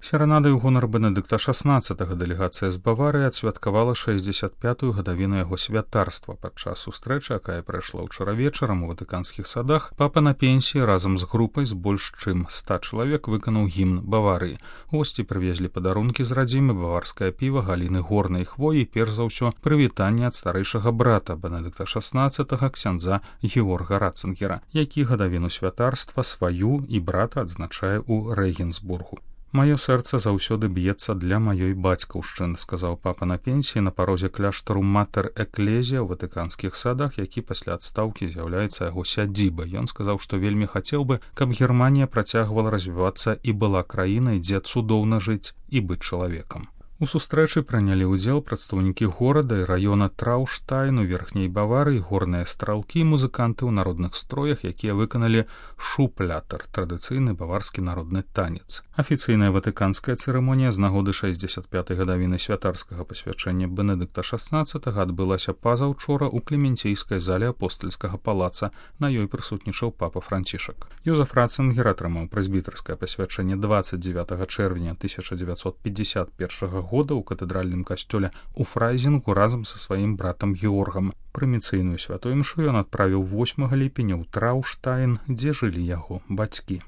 Серанады ў гонар Бенедыкта XVI дэлегацыя з Баварыі адсвяткавала 65-ю гадавіну яго святарства. Падчас сустрэчы, якая прайшла ўчара вечарам у ватыканскіх садах, папа на пенсіі разам з групай з больш чым 100 чалавек выканаў гімн Баварыі. Госці прывезлі падарункі з радзімы, баварскае піва, галіны горнай хвоі і, перш за ўсё, прывітанне ад старэйшага брата Бенедыкта XVI, ксяндза Георга Ратцингера, які гадавіну святарства сваю і брата адзначае ў Рэгенсбургу. «Маё сэрца заўсёды б'ецца для маёй бацькаўшчыны», сказаў папа на пенсіі на парозе кляштару Матэр Эклезія ў ватыканскіх садах, які пасля адстаўкі з'яўляецца яго сядзібай. Ён сказаў, што вельмі хацеў бы, каб Германія працягвала развівацца і была краінай, дзе цудоўна жыць і быць чалавекам. У сустрэчы прынялі ўдзел прадстаўнікі горада і раёна Траўштайн у верхняй Баварыі, горныя стралкі і музыканты ў народных строях, якія выканалі шуплятар, традыцыйны баварскі народны танец. Афіцыйная ватыканская цырымонія з нагоды 65-й гадавіны святарскага пасвячэння Бенедыкта XVI адбылася пазаўчора ў Клементейскай зале апостальскага палаца. На ёй прысутнічаў папа Францішак. Йозеф Ратцингер атрымаў прэзбітарскае пасвячэнне 29 чэрвеня 1951 года ў катэдральным касцёле ў Фрайзінгу разам са сваім братам Георгам. Прыміцыйную святой імшу ён адправіў 8 ліпеня ў Траўштайн, дзе жылі яго бацькі.